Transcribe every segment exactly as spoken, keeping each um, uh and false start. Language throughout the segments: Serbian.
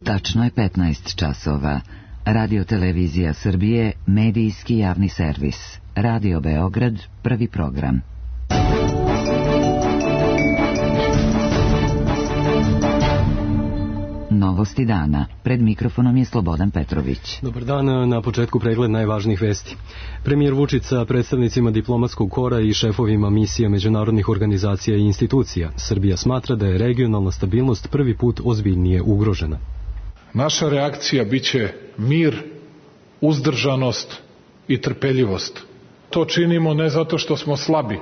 Tačno je petnaest časova. Radio Televizija Srbije, medijski javni servis. Radio Beograd, prvi program. Novosti dana. Pred mikrofonom je Slobodan Petrović. Dobar dan, na početku pregled najvažnijih vesti. Premijer Vučić sa predstavnicima diplomatskog kora i šefovima misija međunarodnih organizacija i institucija. Srbija smatra da je regionalna stabilnost prvi put ozbiljnije ugrožena. Naša reakcija biće mir, uzdržanost i trpeljivost. To činimo ne zato što smo slabi,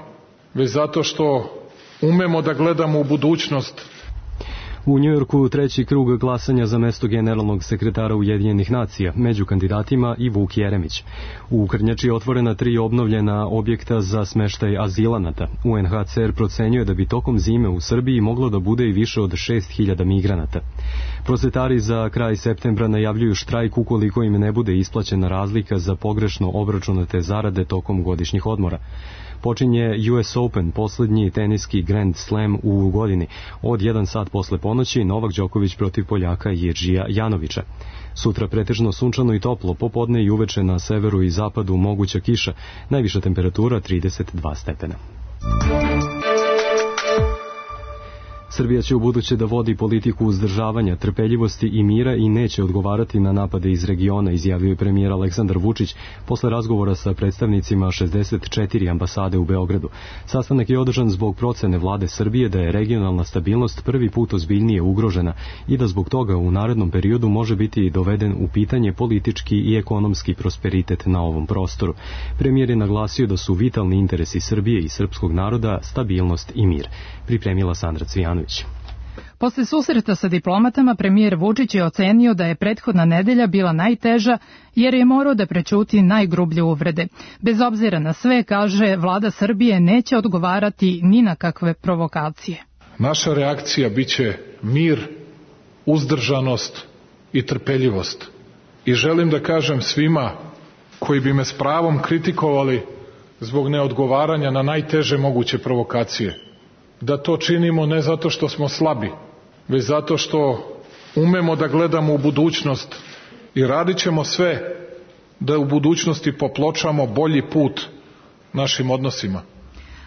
već zato što umemo da gledamo u budućnost. U Njujorku treći krug glasanja za mesto generalnog sekretara Ujedinjenih nacija, među kandidatima i Vuk Jeremić. U Krnjači je otvorena tri obnovljena objekta za smeštaj azilanata. U en ha ce er procenjuje da bi tokom zime u Srbiji moglo da bude i više od šest hiljada migranata. Prosvetari za kraj septembra najavljuju štrajk ukoliko im ne bude isplaćena razlika za pogrešno obračunate zarade tokom godišnjih odmora. Počinje U S Open, poslednji teniski Grand Slam u godini. Od jedan sat posle ponoći Novak Đoković protiv Poljaka Jiržija Janovića. Sutra pretežno sunčano i toplo, popodne i uveče na severu i zapadu moguća kiša. Najviša temperatura trideset dva stepena. Srbija će ubuduće da vodi politiku uzdržavanja, trpeljivosti i mira i neće odgovarati na napade iz regiona, izjavio je premijer Aleksandar Vučić posle razgovora sa predstavnicima šezdeset četiri ambasade u Beogradu. Sastanak je održan zbog procene vlade Srbije da je regionalna stabilnost prvi put ozbiljnije ugrožena i da zbog toga u narednom periodu može biti doveden u pitanje politički i ekonomski prosperitet na ovom prostoru. Premijer je naglasio da su vitalni interesi Srbije i srpskog naroda stabilnost i mir. Pripremila Sandra Cvijanović. Posle susreta sa diplomatama, premijer Vučić je ocenio da je prethodna nedelja bila najteža jer je morao da prećuti najgrublje uvrede. Bez obzira na sve, kaže, vlada Srbije neće odgovarati ni na kakve provokacije. Naša reakcija biće mir, uzdržanost i trpeljivost. I želim da kažem svima koji bi me s pravom kritikovali zbog neodgovaranja na najteže moguće provokacije, da to činimo ne zato što smo slabi, već zato što umemo da gledamo u budućnost i radit ćemo sve da u budućnosti popločamo bolji put našim odnosima.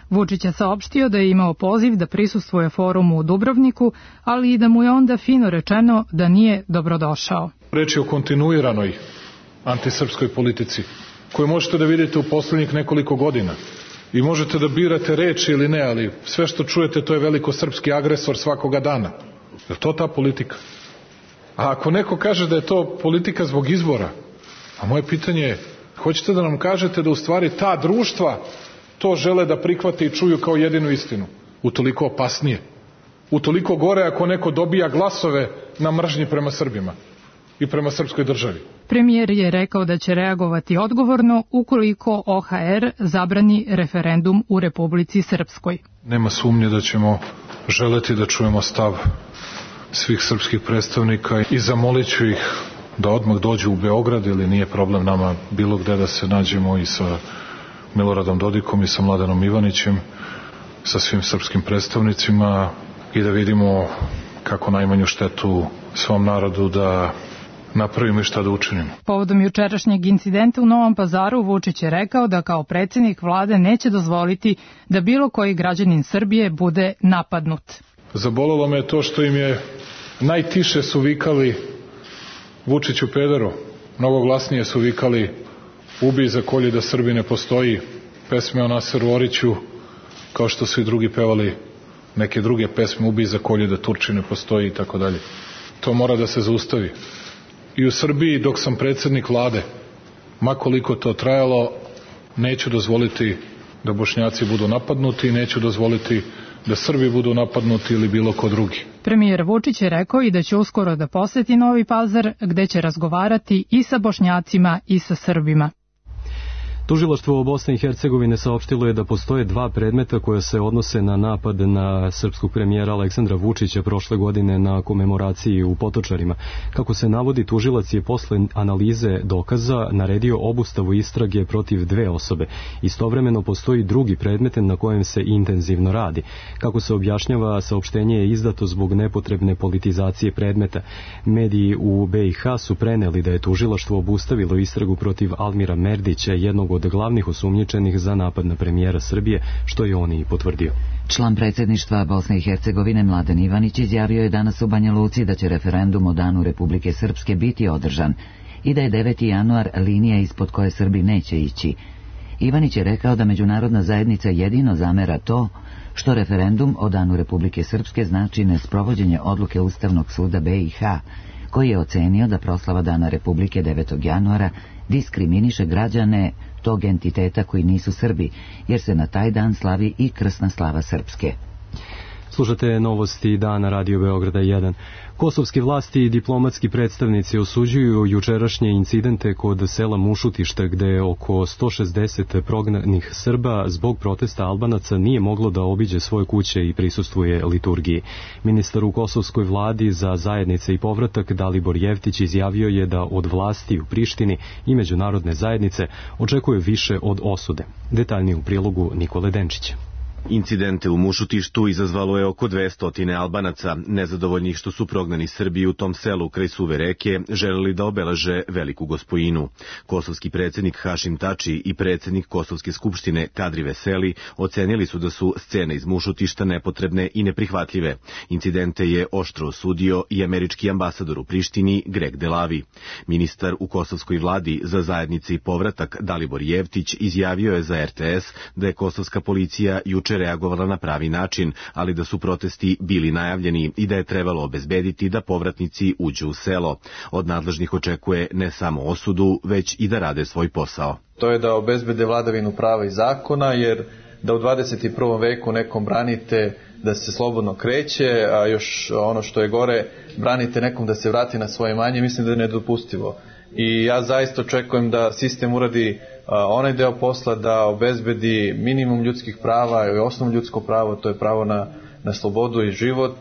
Vučić je saopštio da je imao poziv da prisustvuje forumu u Dubrovniku, ali i da mu je onda fino rečeno da nije dobrodošao. Reč je o kontinuiranoj antisrpskoj politici, koju možete da vidite u poslednjih nekoliko godina. I možete da birate reči ili ne, ali sve što čujete to je velikosrpski agresor svakoga dana. Je li to ta politika? A ako neko kaže da je to politika zbog izbora, a moje pitanje je, hoćete da nam kažete da u stvari ta društva to žele da prihvate i čuju kao jedinu istinu? Utoliko opasnije. Utoliko gore ako neko dobija glasove na mržnji prema Srbima i prema srpskoj državi. Premijer je rekao da će reagovati odgovorno ukoliko O H R zabrani referendum u Republici Srpskoj. Nema sumnje da ćemo želeti da čujemo stav svih srpskih predstavnika i zamolit ću ih da odmah dođu u Beograd, ili nije problem nama bilo gde da se nađemo, i sa Miloradom Dodikom i sa Mladenom Ivanićem, sa svim srpskim predstavnicima, i da vidimo kako najmanju štetu svom narodu da napravimo i šta da učinimo. Povodom jučerašnjeg incidenta u Novom Pazaru, Vučić je rekao da kao predsjednik vlade neće dozvoliti da bilo koji građanin Srbije bude napadnut. Zabolelo me to što im je najtiše su vikali Vučiću pederu, mnogo glasnije su vikali ubij za kolje da Srbi ne postoji, pesme o Naseru Oriću, kao što su i drugi pevali neke druge pesme, ubij za kolje da Turči ne postoji i tako dalje. To mora da se zaustavi. I u Srbiji, dok sam predsjednik vlade, ma koliko to trajalo, neću dozvoliti da Bošnjaci budu napadnuti i neću dozvoliti da Srbi budu napadnuti ili bilo ko drugi. Premijer Vučić je rekao i da će uskoro da poseti Novi Pazar, gde će razgovarati i sa Bošnjacima i sa Srbima. Tužilaštvo Bosne i Hercegovine saopštilo je da postoje dva predmeta koja se odnose na napad na srpskog premijera Aleksandra Vučića prošle godine na komemoraciji u Potočarima. Kako se navodi, tužilac je posle analize dokaza naredio obustavu istrage protiv dve osobe. Istovremeno postoji drugi predmet na kojem se intenzivno radi. Kako se objašnjava, saopštenje je izdato zbog nepotrebne politizacije predmeta. Mediji u B i H su preneli da je tužilaštvo obustavilo istragu protiv Almira Merdića, jednog od glavnih osumnjičenih za napad na premijera Srbije, što je on i potvrdio. Član predsjedništva Bosne i Hercegovine Mladen Ivanić izjavio je danas u Banja Luci da će referendum o danu Republike Srpske biti održan i da je deveti januar linija ispod koje Srbi neće ići. Ivanić je rekao da međunarodna zajednica jedino zamera to što referendum o danu Republike Srpske znači nesprovođenje odluke Ustavnog suda B i H, koji je ocenio da proslava dana Republike devetog januara diskriminiše građane tog entiteta koji nisu Srbi, jer se na taj dan slavi i krsna slava Srpske. Slušate novosti dana Radio Beograda jedan. Kosovske vlasti i diplomatski predstavnici osuđuju jučerašnje incidente kod sela Mušutište, gde oko sto šezdeset prognanih Srba zbog protesta Albanaca nije moglo da obiđe svoje kuće i prisustvuje liturgiji. Ministar u kosovskoj vladi za zajednice i povratak Dalibor Jevtić izjavio je da od vlasti u Prištini i međunarodne zajednice očekuje više od osude. Detaljnije u prilogu Nikole Denčića. Incidente u Mušutištu izazvalo je oko dvesta Albanaca, nezadovoljnih što su prognani Srbi u tom selu kraj Suve reke želeli da obeleže Veliku Gospojinu. Kosovski predsjednik Hašim Tači i predsjednik Kosovske skupštine Kadri Veseli ocenili su da su scene iz Mušutišta nepotrebne i neprihvatljive. Incidente je oštro osudio i američki ambasador u Prištini Greg Delavi. Ministar u kosovskoj vladi za zajednice i povratak Dalibor Jevtić izjavio je za R T S da je kosovska policija juče reagovala na pravi način, ali da su protesti bili najavljeni i da je trebalo obezbediti da povratnici uđu u selo. Od nadležnih očekuje ne samo osudu, već i da rade svoj posao. To je da obezbede vladavinu prava i zakona, jer da u dvadeset prvom veku nekom branite da se slobodno kreće, a još ono što je gore, branite nekom da se vrati na svoje imanje, mislim da je nedopustivo. I ja zaista očekujem da sistem uradi onaj deo posla, da obezbedi minimum ljudskih prava i osnovno ljudsko pravo, to je pravo na, na slobodu i život.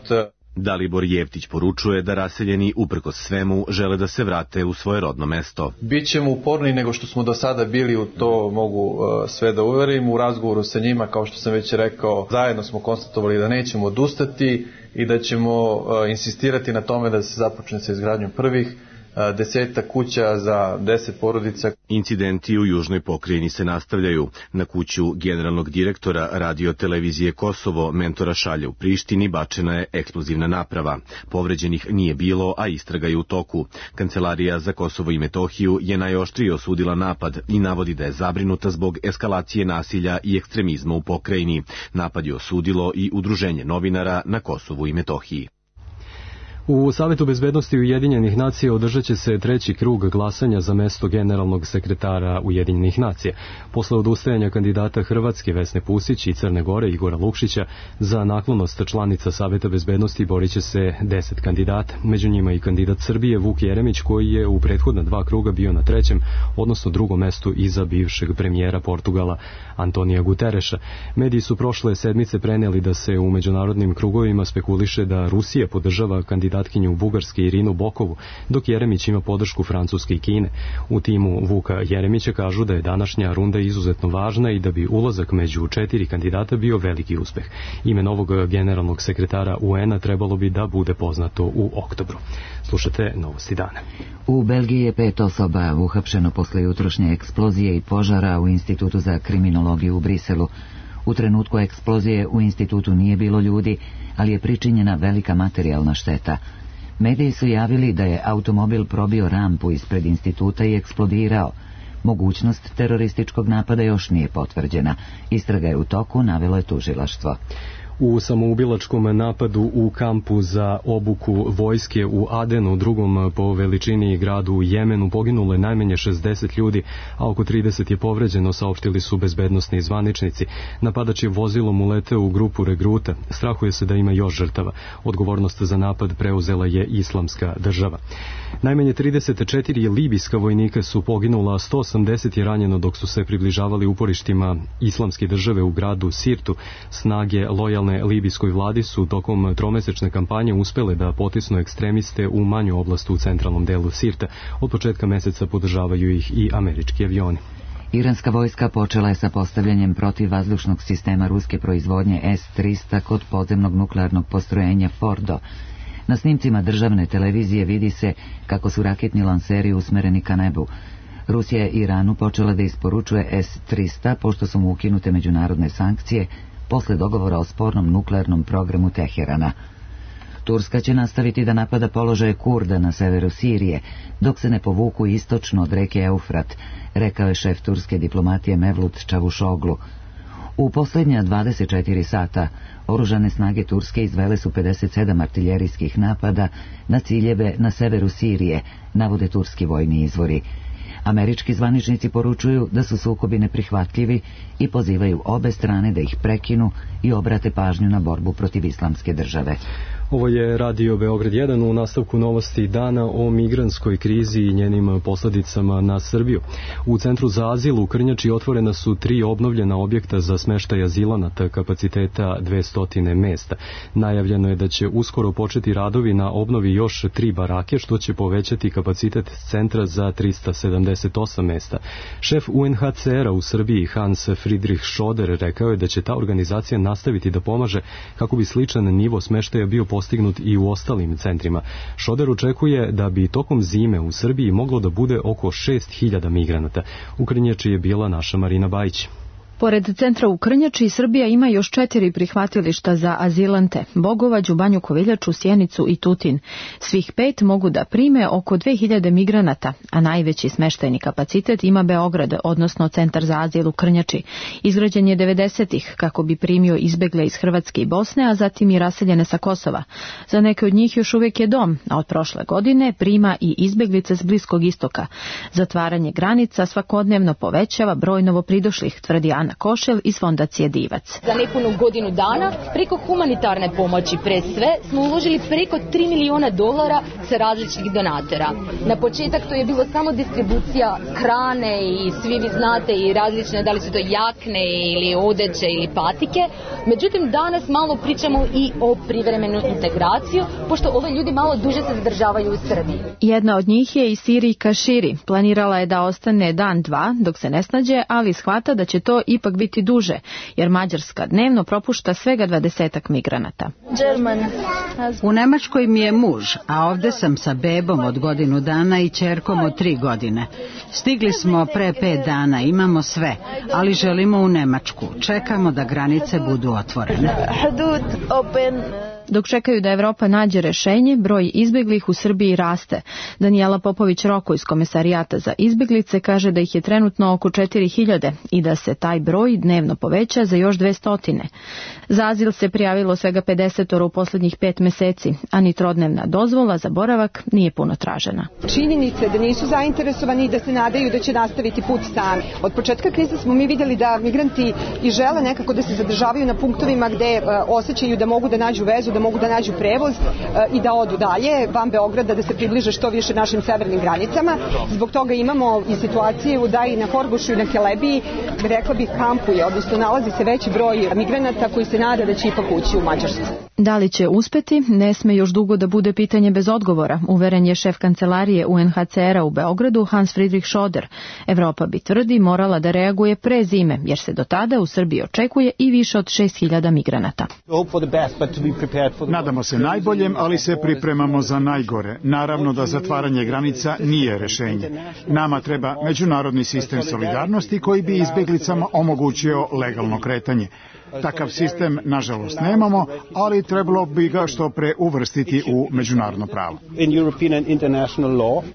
Dalibor Jevtić poručuje da raseljeni uprkos svemu žele da se vrate u svoje rodno mesto. Bićemo uporniji nego što smo do sada bili, u to mogu uh, sve da uverim. U razgovoru sa njima, kao što sam već rekao, zajedno smo konstatovali da nećemo odustati i da ćemo uh, insistirati na tome da se započne sa izgradnjom prvih deseta kuća za deset porodica. Incidenti u južnoj pokrajini se nastavljaju. Na kuću generalnog direktora radio televizije Kosovo Mentora Šalja u Prištini bačena je eksplozivna naprava. Povređenih nije bilo, a istraga je u toku. Kancelarija za Kosovo i Metohiju je najoštrije osudila napad i navodi da je zabrinuta zbog eskalacije nasilja i ekstremizma u pokrajini. Napad je osudilo i Udruženje novinara na Kosovu i Metohiji. U Savetu bezbednosti Ujedinjenih nacija održat će se treći krug glasanja za mesto generalnog sekretara Ujedinjenih nacija. Posle odustajanja kandidata Hrvatske Vesne Pusić i Crne Gore Igora Lukšića za naklonost članica Saveta bezbednosti borit će se deset kandidata. Među njima i kandidat Srbije Vuk Jeremić, koji je u prethodna dva kruga bio na trećem, odnosno drugom mestu iza bivšeg premijera Portugala Antonija Gutereša. Mediji su prošle sedmice preneli da se u međunarodnim krugovima spekuliše da Rusija podržava kandidat kandidatkinju Bugarske Irinu Bokovu, dok Jeremić ima podršku Francuske i Kine. U timu Vuka Jeremića kažu da je današnja runda izuzetno važna i da bi ulazak među četiri kandidata bio veliki uspeh. Ime novog generalnog sekretara U N-a trebalo bi da bude poznato u oktobru. Slušate novosti dana. U Belgiji je pet osoba uhapšeno posle jutrošnje eksplozije i požara u Institutu za kriminologiju u Briselu. U trenutku eksplozije u institutu nije bilo ljudi, ali je pričinjena velika materijalna šteta. Mediji su javili da je automobil probio rampu ispred instituta i eksplodirao. Mogućnost terorističkog napada još nije potvrđena. Istraga je u toku, navelo je tužilaštvo. U samoubilačkom napadu u kampu za obuku vojske u Adenu, drugom po veličini gradu u Jemenu, poginulo je najmanje šezdeset ljudi, a oko trideset je povređeno, saopštili su bezbednosni zvaničnici. Napadač je vozilom uleteo u grupu regruta. Strahuje se da ima još žrtava. Odgovornost za napad preuzela je Islamska država. Najmanje trideset četiri libijska vojnika su poginula, a sto osamdeset je ranjeno dok su se približavali uporištima Islamske države u gradu Sirtu. Snage lojalne libijskoj vladi su tokom tromesečne kampanje uspele da potisnu ekstremiste u manju oblast u centralnom delu Sirta. Od početka meseca podržavaju ih i američki avioni. Iranska vojska počela je sa postavljanjem protivvazdušnog sistema ruske proizvodnje S trista kod podzemnog nuklearnog postrojenja Fordo. Na snimcima državne televizije vidi se kako su raketni lanseri usmereni ka nebu. Rusija je Iranu počela da isporučuje S trista pošto su mu ukinute međunarodne sankcije posle dogovora o spornom nuklearnom programu Teherana. Turska će nastaviti da napada položaje Kurda na severu Sirije, dok se ne povuku istočno od reke Eufrat, rekao je šef turske diplomatije Mevlut Čavuşoglu. U posljednja dvadeset četiri sata oružane snage Turske izvele su pedeset sedam artiljerijskih napada na ciljeve na severu Sirije, navode turski vojni izvori. Američki zvaničnici poručuju da su sukobi neprihvatljivi i pozivaju obe strane da ih prekinu i obrate pažnju na borbu protiv Islamske države. Ovo je Radio Beograd jedan, u nastavku novosti dana o migrantskoj krizi i njenim posljedicama na Srbiju. U Centru za azil u Krnjači otvorena su tri obnovljena objekta za smeštaj azilanata kapaciteta dvesta mesta. Najavljeno je da će uskoro početi radovi na obnovi još tri barake, što će povećati kapacitet centra za trista sedamdeset osam mesta. Šef U N H C R-a u Srbiji Hans Friedrich Schoder rekao je da će ta organizacija nastaviti da pomaže kako bi sličan nivo smeštaja bio postignut i u ostalim centrima. Šoder očekuje da bi tokom zime u Srbiji moglo da bude oko šest hiljada migranata. U Krnjači je bila naša Marina Bajić. Pored centra u Krnjači, Srbija ima još četiri prihvatilišta za azilante: Bogovađu, Banju Koviljaču, Sjenicu i Tutin. Svih pet mogu da prime oko dve hiljade migranata, a najveći smeštajni kapacitet ima Beograd, odnosno Centar za azil u Krnjači. Izgrađen je devedesetih kako bi primio izbegle iz Hrvatske i Bosne, a zatim i raseljene sa Kosova. Za neke od njih još uvijek je dom, a od prošle godine prima i izbeglice s Bliskog istoka. Zatvaranje granica svakodnevno povećava broj novopridošlih, tvrdi Ana Košel iz fondacije Divac. Za nepunu godinu dana preko humanitarne pomoći pre sve smo uložili preko tri miliona dolara sa različitih donatora. Na početak to je bilo samo distribucija hrane i svi vi znate i različne, da li su to jakne ili odeće ili patike. Međutim, danas malo pričamo i o privremenoj integraciju, pošto ove ljudi malo duže se zadržavaju u Srbiji. Jedna od njih je i Siri Kaširi. Planirala je da ostane dan, dva, dok se ne snađe, ali shvata da će to ipak biti duže, jer Mađarska dnevno propušta svega dvadesetak migranata. U Nemačkoj mi je muž, a ovde sam sa bebom od godinu dana i ćerkom od tri godine. Stigli smo pre pet dana, imamo sve, ali želimo u Nemačku. Čekamo da granice budu otvorene. Dok čekaju da Evropa nađe rešenje, broj izbeglih u Srbiji raste. Danijela Popović-Roko iz Komesarijata za izbeglice kaže da ih je trenutno oko četiri hiljade i da se taj broj dnevno poveća za još dvesta. Za azil se prijavilo svega pedeset u posljednjih pet meseci, a ni trodnevna dozvola za boravak nije puno tražena. Činjenice da nisu zainteresovani i da se nadaju da će nastaviti put sami. Od početka krize smo mi vidjeli da migranti i žele nekako da se zadržavaju na punktovima gde e, osjećaju da mogu da nađu vezu, da mogu da nađu prevoz e, i da odu dalje van Beograda, da se približe što više našim severnim granicama. Zbog toga imamo i situaciju da i na Horgošu i na Kelebiji, rekla bih, kampuje, odnosno nalazi se veći broj migranata koji se nada da će ipak ući u Mađarsku. Da li će uspeti, ne sme još dugo da bude pitanje bez odgovora, uveren je šef kancelarije U N H C R-a u Beogradu Hans Friedrich Schoder. Evropa bi, tvrdi, morala da reaguje pre zime, jer se do tada u Srbiji očekuje i više od šest hiljada migranata. Nadamo se najboljem, ali se pripremamo za najgore. Naravno da zatvaranje granica nije rešenje. Nama treba međunarodni sistem solidarnosti koji bi izbeglicama omogućio legalno kretanje. Takav sistem, nažalost, nemamo, ali trebalo bi ga što pre uvrstiti u međunarodno pravo.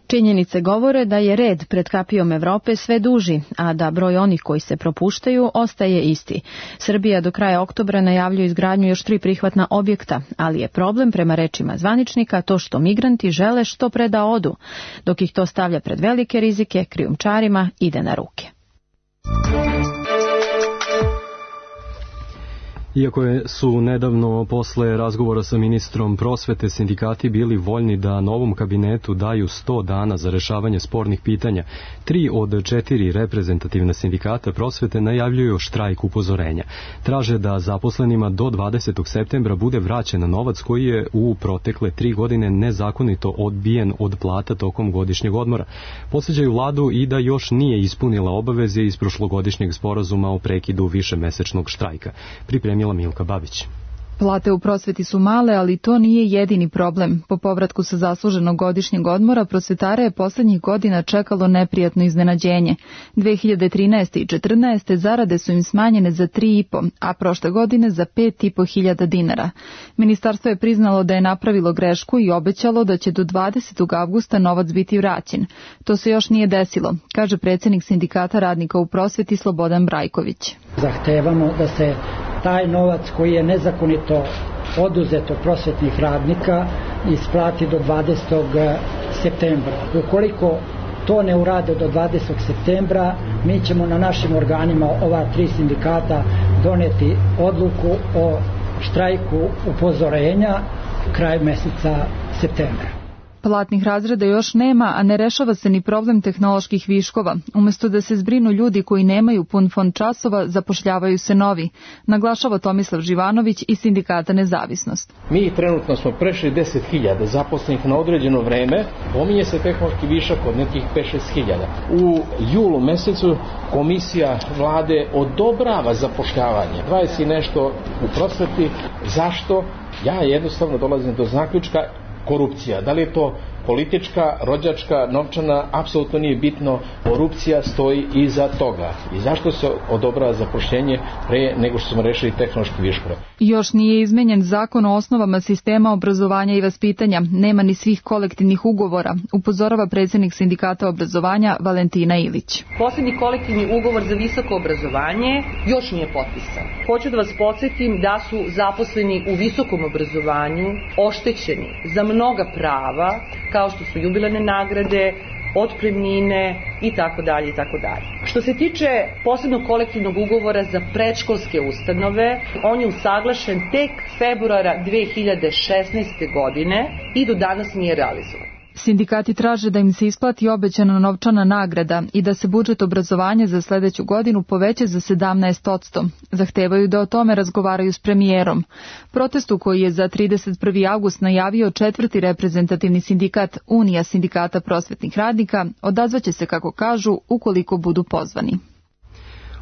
Činjenice govore da je red pred kapijom Evrope sve duži, a da broj onih koji se propuštaju ostaje isti. Srbija do kraja oktobra najavljuje izgradnju još tri prihvatna objekta, ali je problem prema rečima zvaničnika to što migranti žele što pre da odu, dok ih to stavlja pred velike rizike, krijumčarima ide na ruke. Iako su nedavno posle razgovora sa ministrom prosvete sindikati bili voljni da novom kabinetu daju sto dana za rešavanje spornih pitanja, tri od četiri reprezentativna sindikata prosvete najavljuju štrajk upozorenja. Traže da zaposlenima do dvadesetog septembra bude vraćen novac koji je u protekle tri godine nezakonito odbijen od plata tokom godišnjeg odmora. Podsjećaju vladu i da još nije ispunila obaveze iz prošlogodišnjeg sporazuma o prekidu višemesečnog štrajka. Pripremila Milka Babić. Plate u prosveti su male, ali to nije jedini problem. Po povratku sa zasluženog godišnjeg odmora prosvetara je poslednjih godina čekalo neprijatno iznenađenje. dve hiljade trinaeste. i četrnaeste. zarade su im smanjene za tri i po, a prošle godine za pet i po hiljada dinara. Ministarstvo je priznalo da je napravilo grešku i obećalo da će do dvadesetog avgusta novac biti vraćen. To se još nije desilo, kaže predsjednik sindikata radnika u prosveti Slobodan Brajković. Zahtevamo da se taj novac koji je nezakonito oduzet od prosvetnih radnika isplati do dvadesetog septembra. Ukoliko to ne urade do dvadesetog septembra, mi ćemo na našim organima ova tri sindikata doneti odluku o štrajku upozorenja krajem meseca septembra. Platnih razreda još nema, a ne rešava se ni problem tehnoloških viškova. Umesto da se zbrinu ljudi koji nemaju pun fond časova, zapošljavaju se novi, naglašava Tomislav Živanović iz sindikata Nezavisnost. Mi trenutno smo prešli deset hiljada zaposlenih na određeno vreme, pominje se tehnološki višak od nekih pet do šest hiljada. U julu mesecu komisija vlade odobrava zapošljavanje. dvadeset i nešto u prosveti. Zašto? Ja jednostavno dolazim do zaključka korupcija. Da li je to politička, rođačka, novčana, apsolutno nije bitno. Korupcija stoji iza toga. I zašto se odobrava zapošljenje pre nego što smo rešili tehnološki viškove? Još nije izmenjen zakon o osnovama sistema obrazovanja i vaspitanja. Nema ni svih kolektivnih ugovora, upozorava predsjednik sindikata obrazovanja Valentina Ilić. Poslednji kolektivni ugovor za visoko obrazovanje još nije potpisan. Hoću da vas podsjetim da su zaposleni u visokom obrazovanju oštećeni za mnoga prava, kao što su jubilarne nagrade, otpremnine i tako dalje i tako dalje. Što se tiče posebnog kolektivnog ugovora za predškolske ustanove, on je usaglašen tek februara dve hiljade šesnaeste. godine i do danas nije realizovan. Sindikati traže da im se isplati obećana novčana nagrada i da se budžet obrazovanja za sledeću godinu poveća za sedamnaest posto. Zahtevaju da o tome razgovaraju s premijerom. Protestu koji je za trideset prvi avgust najavio četvrti reprezentativni sindikat Unija sindikata prosvetnih radnika odazvaće se, kako kažu, ukoliko budu pozvani.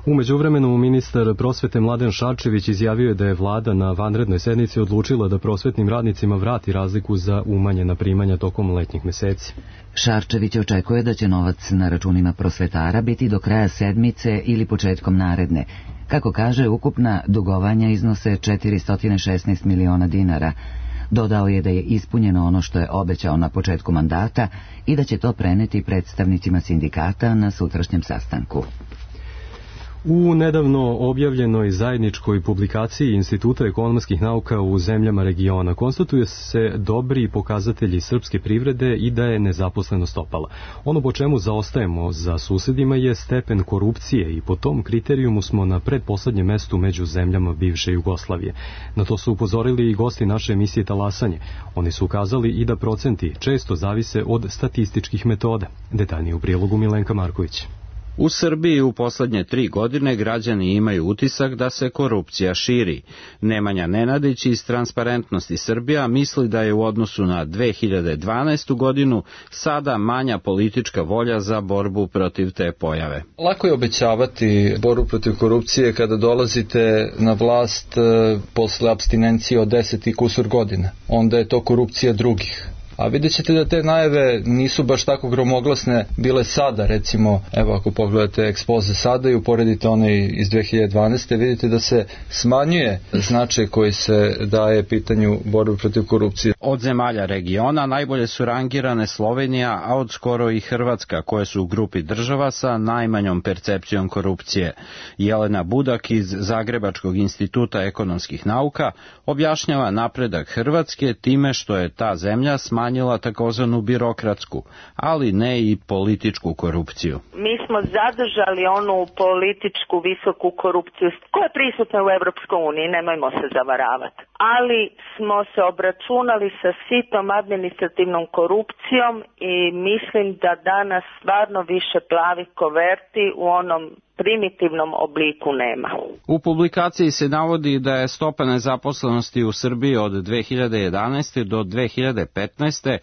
U međuvremenu ministar prosvete Mladen Šarčević izjavio je da je vlada na vanrednoj sednici odlučila da prosvetnim radnicima vrati razliku za umanjena primanja tokom letnjih meseci. Šarčević očekuje da će novac na računima prosvetara biti do kraja sedmice ili početkom naredne. Kako kaže, ukupna dugovanja iznose četiristo šesnaest miliona dinara. Dodao je da je ispunjeno ono što je obećao na početku mandata i da će to preneti predstavnicima sindikata na sutrašnjem sastanku. U nedavno objavljenoj zajedničkoj publikaciji Instituta ekonomskih nauka u zemljama regiona konstatuje se dobri pokazatelji srpske privrede i da je nezaposlenost opala. Ono po čemu zaostajemo za susedima je stepen korupcije i po tom kriterijumu smo na predposlednjem mestu među zemljama bivše Jugoslavije. Na to su upozorili i gosti naše emisije Talasanje. Oni su ukazali i da procenti često zavise od statističkih metoda. Detaljnije u prilogu Milenka Marković. U Srbiji u poslednje tri godine građani imaju utisak da se korupcija širi. Nemanja Nenadić iz Transparentnosti Srbija misli da je u odnosu na dve hiljade dvanaestu. godinu sada manja politička volja za borbu protiv te pojave. Lako je obećavati borbu protiv korupcije kada dolazite na vlast posle apstinencije od deset i kusur godina. Onda je to korupcija drugih. A vidjet ćete da te najave nisu baš tako gromoglasne bile sada, recimo, evo ako pogledate ekspoze sada i uporedite one iz dve hiljade dvanaeste. vidite da se smanjuje značaj koji se daje pitanju borbe protiv korupcije. Od zemalja regiona najbolje su rangirane Slovenija, a od skoro i Hrvatska, koje su u grupi država sa najmanjom percepcijom korupcije. Jelena Budak iz Zagrebačkog instituta ekonomskih nauka objašnjava napredak Hrvatske time što je ta zemlja smanjila takozvanu birokratsku, ali ne i političku korupciju. Mi smo zadržali onu političku visoku korupciju koja je prisutna u Evropskoj uniji, nemojmo se zavaravati. Ali smo se obračunali sa sitom administrativnom korupcijom i mislim da danas stvarno više plavih koverti u onom primitivnom obliku nema. U publikaciji se navodi da je stopa nezaposlenosti u Srbiji od dve hiljade jedanaeste do dve hiljade petnaeste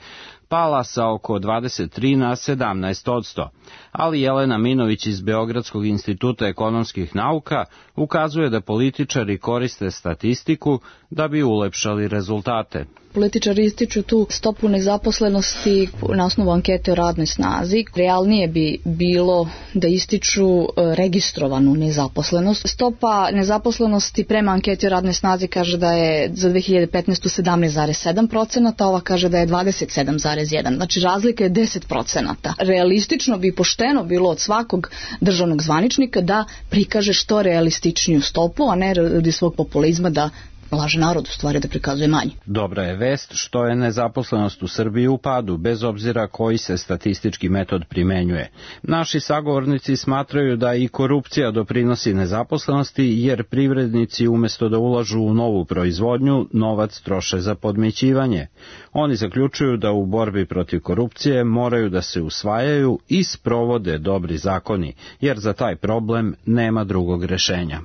pala sa oko dvadeset tri na sedamnaest posto, ali Jelena Minović iz Beogradskog instituta ekonomskih nauka ukazuje da političari koriste statistiku da bi ulepšali rezultate. Političari ističu tu stopu nezaposlenosti na osnovu ankete o radnoj snazi. Realnije bi bilo da ističu registrovanu nezaposlenost. Stopa nezaposlenosti prema anketi o radnoj snazi kaže da je za dve hiljade petnaestu sedamnaest zarez sedam posto, ova kaže da je dvadeset sedam zarez jedan. Znači razlika je deset posto. Realistično bi pošteno bilo od svakog državnog zvaničnika da prikaže što realističniju stopu, a ne radi svog populizma da laže narod, u stvari da prikazuje manje. Dobra je vest što je nezaposlenost u Srbiji u padu, bez obzira koji se statistički metod primenjuje. Naši sagovornici smatraju da i korupcija doprinosi nezaposlenosti, jer privrednici umesto da ulažu u novu proizvodnju, novac troše za podmićivanje. Oni zaključuju da u borbi protiv korupcije moraju da se usvajaju i sprovode dobri zakoni, jer za taj problem nema drugog rešenja.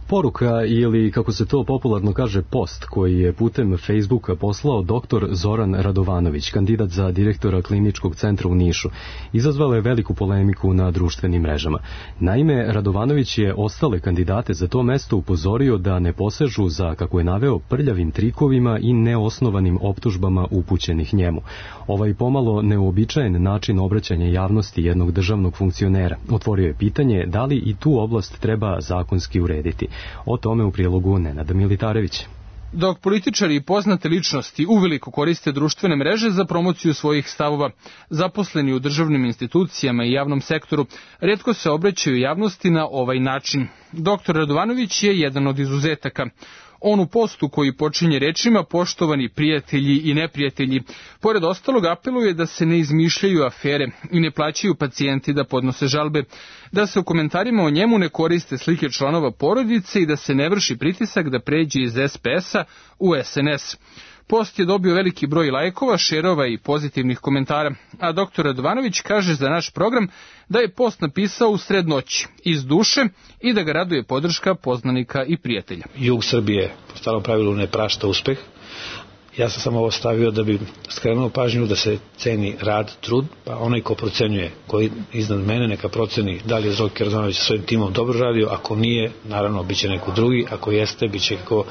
Poruka ili, kako se to popularno kaže, post koji je putem Facebooka poslao doktor Zoran Radovanović, kandidat za direktora kliničkog centra u Nišu, izazvala je veliku polemiku na društvenim mrežama. Naime, Radovanović je ostale kandidate za to mesto upozorio da ne posežu za, kako je naveo, prljavim trikovima i neosnovanim optužbama upućenih njemu. Ovaj pomalo neuobičajen način obraćanja javnosti jednog državnog funkcionera otvorio je pitanje da li i tu oblast treba zakonski urediti. O tome u prilogu Nenada Militarevića. Dok političari i poznate ličnosti uveliko koriste društvene mreže za promociju svojih stavova, zaposleni u državnim institucijama i javnom sektoru retko se obraćaju javnosti na ovaj način. Doktor Radovanović je jedan od izuzetaka. On u postu koji počinje rečima poštovani prijatelji i neprijatelji, pored ostalog apeluje da se ne izmišljaju afere i ne plaćaju pacijenti da podnose žalbe, da se u komentarima o njemu ne koriste slike članova porodice i da se ne vrši pritisak da pređe iz es pe es-a u es en es. Post je dobio veliki broj lajkova, šerova i pozitivnih komentara, a doktor Radovanović kaže za naš program da je post napisao u sred noći, iz duše, i da ga raduje podrška poznanika i prijatelja. Jug Srbije po starom pravilu ne prašta uspeh. Ja sam samo ovo stavio da bi skrenuo pažnju da se ceni rad, trud, pa onaj ko procenjuje, koji iznad mene neka proceni da li je Zoki Radovanović sa svojim timom dobro radio, ako nije, naravno, bit će neko drugi, ako jeste, bit će kako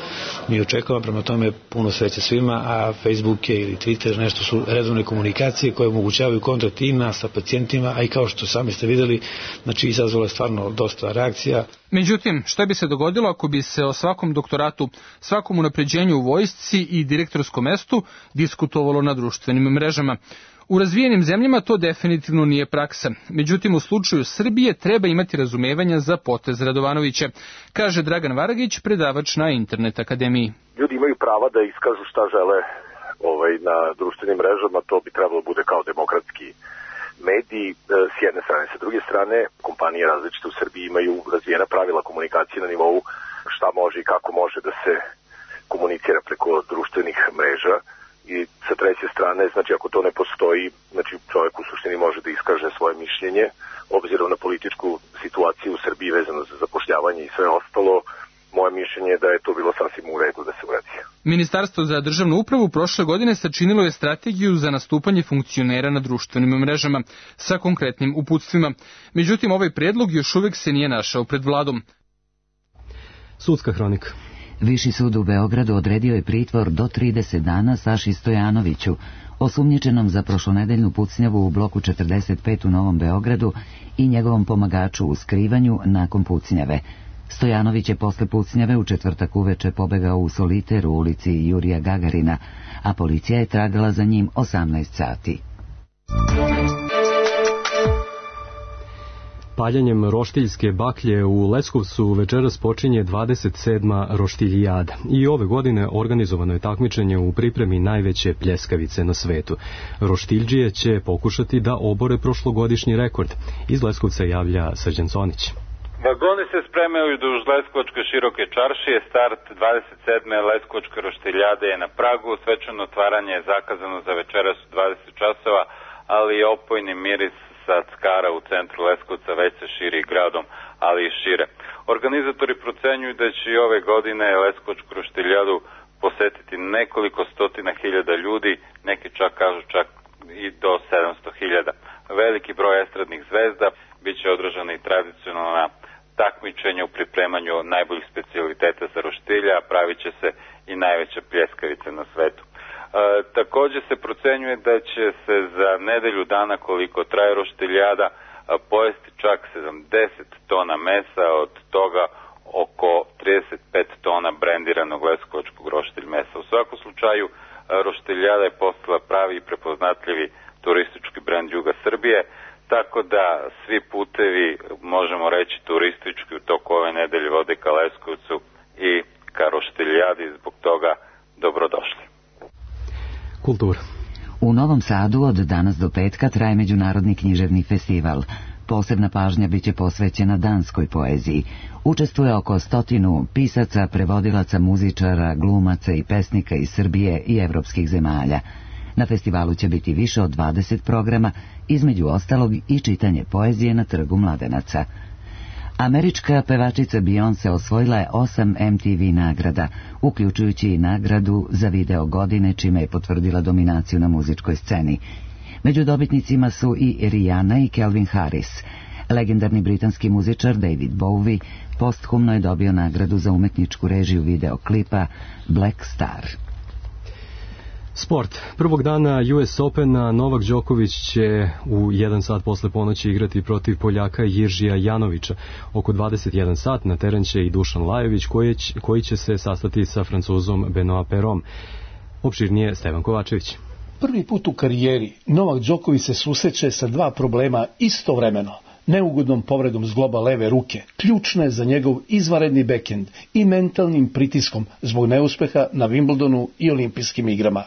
mi očekava, prema tome puno sreće svima, a Facebook je ili Twitter nešto su redovne komunikacije koje omogućavaju kontakt i nas sa pacijentima, a i kao što sami ste videli, znači izazvalo je stvarno dosta reakcija. Međutim, šta bi se dogodilo ako bi se o svakom doktoratu, svakom unapređenju u vojsci i direktorskom mestu diskutovalo na društvenim mrežama? U razvijenim zemljama to definitivno nije praksa. Međutim, u slučaju Srbije treba imati razumevanja za potez Radovanovića, kaže Dragan Varagić, predavač na Internet akademiji. Ljudi imaju prava da iskažu šta žele ovaj, na društvenim mrežama, to bi trebalo bude kao demokratski mediji s jedne strane. Sa druge strane, kompanije različite u Srbiji imaju razvijena pravila komunikacije na nivou šta može i kako može da se komunicira preko društvenih mreža. I sa treće strane, znači ako to ne postoji, znači čovjek u suštini može da iskaže svoje mišljenje, obzirom na političku situaciju u Srbiji vezano za zapošljavanje i sve ostalo. Moje mišljenje je da je to bilo sasvim u redu da se uradi. Ministarstvo za državnu upravu prošle godine sačinilo je strategiju za nastupanje funkcionera na društvenim mrežama sa konkretnim uputstvima. Međutim, ovaj predlog još uvijek se nije našao pred vladom. Sudska hronika. Viši sud u Beogradu odredio je pritvor do trideset dana Saši Stojanoviću, osumnjičenom za prošlonedeljnu pucnjavu u bloku četrdeset pet u Novom Beogradu i njegovom pomagaču u skrivanju nakon pucnjave. Stojanović je posle pucnjave u četvrtak uveče pobegao u soliter u ulici Jurija Gagarina, a policija je tragala za njim osamnaest sati. Paljenjem roštiljske baklje u Leskovcu večeras počinje dvadeset sedma roštiljijada i ove godine organizovano je takmičenje u pripremi najveće pljeskavice na svetu. Roštiljđije će pokušati da obore prošlogodišnji rekord. Iz Leskovca javlja Srđan Sonić. Vagoni se spremaju duž Leskovačke široke čaršije. Start dvadeset sedme Leskovačke roštiljade je na pragu. Svečano otvaranje je zakazano za večeras u dvadeset časova, ali i opojni miris sa Ckara u centru Leskovca već se širi gradom, ali i šire. Organizatori procenjuju da će i ove godine Leskovačku roštiljadu posetiti nekoliko stotina hiljada ljudi, neki čak kažu čak i do sedamsto hiljada. Veliki broj estradnih zvezda biće održana i tradicionalna takmičenja u pripremanju najboljih specijaliteta za roštilja, a pravit će se i najveća pljeskavica na svetu. E, također se procenjuje da će se za nedelju dana koliko traje roštiljada pojesti čak sedamdeset tona mesa, od toga oko trideset pet tona brendiranog leskovačkog roštilj mesa. U svakom slučaju roštiljada je postala pravi i prepoznatljivi turistički brend juga Srbije, tako da svi putevi, možemo reći turistički, u toku ove nedelje vode ka Leskovcu i ka roštiljadi, zbog toga dobrodošli. Kultura. U Novom Sadu od danas do petka traje Međunarodni književni festival. Posebna pažnja biće posvećena danskoj poeziji. Učestvuje oko stotinu pisaca, prevodilaca, muzičara, glumaca i pesnika iz Srbije i evropskih zemalja. Na festivalu će biti više od dvadeset programa, između ostalog i čitanje poezije na Trgu Mladenaca. Američka pevačica Beyoncé osvojila je osam M T V nagrada, uključujući i nagradu za video godine, čime je potvrdila dominaciju na muzičkoj sceni. Među dobitnicima su i Rihanna i Calvin Harris. Legendarni britanski muzičar David Bowie posthumno je dobio nagradu za umetničku režiju videoklipa Black Star. Sport. Prvog dana U S Opena Novak Đoković će u jedan sat posle ponoći igrati protiv Poljaka Jiržija Janovića. Oko dvadeset jedan sat na teren će i Dušan Lajović koji će, koji će se sastati sa Francuzom Benoit Perom. Opširnije Stevan Kovačević. Prvi put u karijeri Novak Đoković se susreće sa dva problema istovremeno. Neugodnom povredom zgloba leve ruke, ključne za njegov izvanredni bekend, i mentalnim pritiskom zbog neuspeha na Wimbledonu i olimpijskim igrama.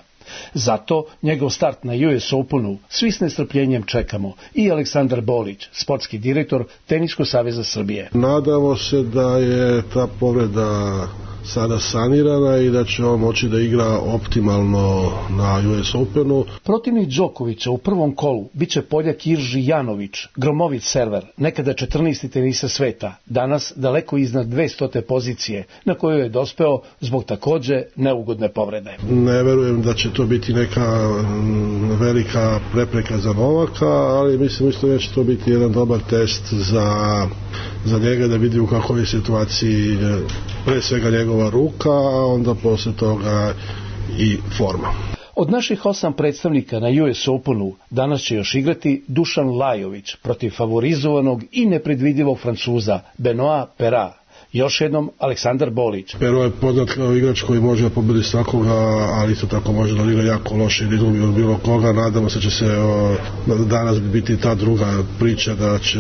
Zato njegov start na U S Openu svi s nestrpljenjem čekamo, i Aleksandar Bolić, sportski direktor Teniskog saveza Srbije. Nadamo se da je ta povreda sada sanirana i da će on moći da igra optimalno na U S Openu. Protivnik Đokovića u prvom kolu biće Poljak Jirži Janović, gromovit server, nekada četrnaesti tenisa sveta, danas daleko iznad dvestute pozicije, na koju je dospeo zbog takođe neugodne povrede. Ne verujem da će to biti neka velika prepreka za Novaka, ali mislim isto da će to biti jedan dobar test za, za njega, da vidi u kakvoj je situaciji pre svega njegova ruka, a onda posle toga i forma. Od naših osam predstavnika na U S Openu danas će još igrati Dušan Lajović protiv favorizovanog i nepredvidivog Francuza Benoit Pera. Još jednom Aleksandar Bolić. Pero je poznat kao igrač koji može da pobedi svakoga, ali isto tako može da igra jako loše ili izgubi od bilo koga. Nadamo se da će se o, danas biti ta druga priča, da će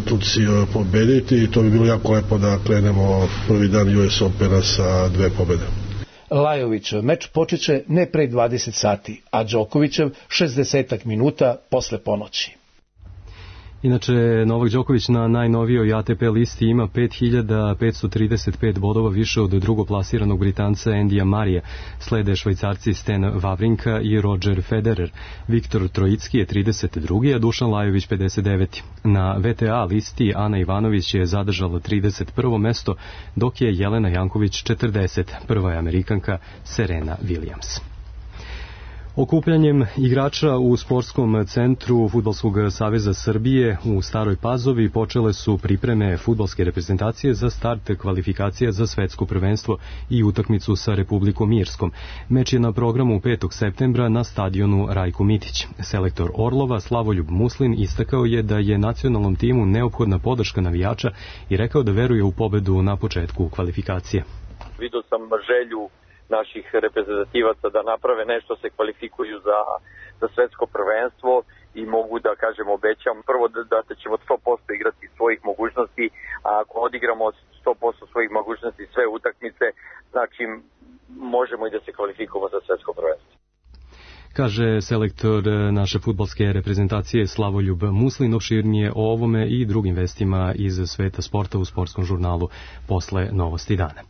Turci pobediti, i to bi bilo jako lepo da krenemo prvi dan U S Opena sa dve pobede. Lajovićev meč počeće ne pre dvadeset sati, a Đokovićev šezdeset minuta posle ponoći. Inače, Novak Đoković na najnovijoj A T P listi ima pet hiljada petsto trideset pet bodova više od drugoplasiranog Britanca Andyja Marija. Slede Švajcarci Stan Wawrinka i Roger Federer. Viktor Trojicki je trideset drugi, a Dušan Lajović pedeset deveti Na V T A listi Ana Ivanović je zadržala trideset prvo mesto, dok je Jelena Janković četrdeset Prva je Amerikanka Serena Williams. Okupljanjem igrača u sportskom centru Fudbalskog saveza Srbije u Staroj Pazovi počele su pripreme fudbalske reprezentacije za start kvalifikacija za svetsko prvenstvo i utakmicu sa Republikom Irskom. Meč je na programu petog septembra na stadionu Rajko Mitić. Selektor Orlova Slavoljub Muslin istakao je da je nacionalnom timu neophodna podrška navijača i rekao da veruje u pobedu na početku kvalifikacije. Vidio sam želju naših reprezentativaca da naprave nešto, se kvalifikuju za, za svetsko prvenstvo i mogu da kažem, obećam prvo da, da ćemo sto posto igrati svojih mogućnosti, a ako odigramo sto posto svojih mogućnosti sve utakmice, znači možemo i da se kvalifikujemo za svetsko prvenstvo. Kaže selektor naše fudbalske reprezentacije Slavoljub Muslin. Opširnije o ovome i drugim vestima iz sveta sporta u sportskom žurnalu posle Novosti dana.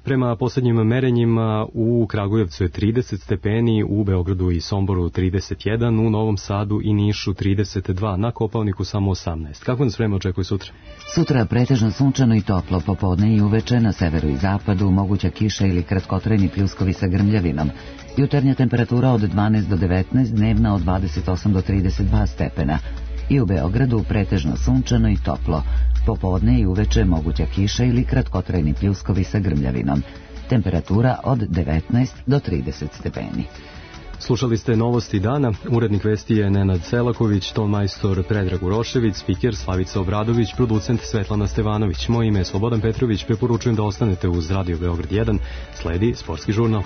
Prema poslednjim merenjima u Kragujevcu je trideset stepeni, u Beogradu i Somboru trideset jedan, u Novom Sadu i Nišu trideset dva, na Kopaoniku samo osamnaest. Kako nas vreme očekuje sutra? Sutra pretežno sunčano i toplo, popodne i uveče na severu i zapadu moguća kiša ili kratkotrajni pljuskovi sa grmljavinom. Jutarnja temperatura od dvanaest do devetnaest, dnevna od dvadeset osam do trideset dva stepena. I u Beogradu pretežno sunčano i toplo. Popodne i uveče moguća kiša ili kratkotrajni pljuskovi sa grmljavinom. Temperatura od devetnaest do trideset stepeni. Slušali ste Novosti dana. Urednik vesti je Nenad Selaković, ton majstor Predrag Urošević, spiker Slavica Obradović, producent Svetlana Stevanović. Moje ime je Slobodan Petrović. Preporučujem da ostanete uz Radio Beograd jedan. Sledi sportski žurnal.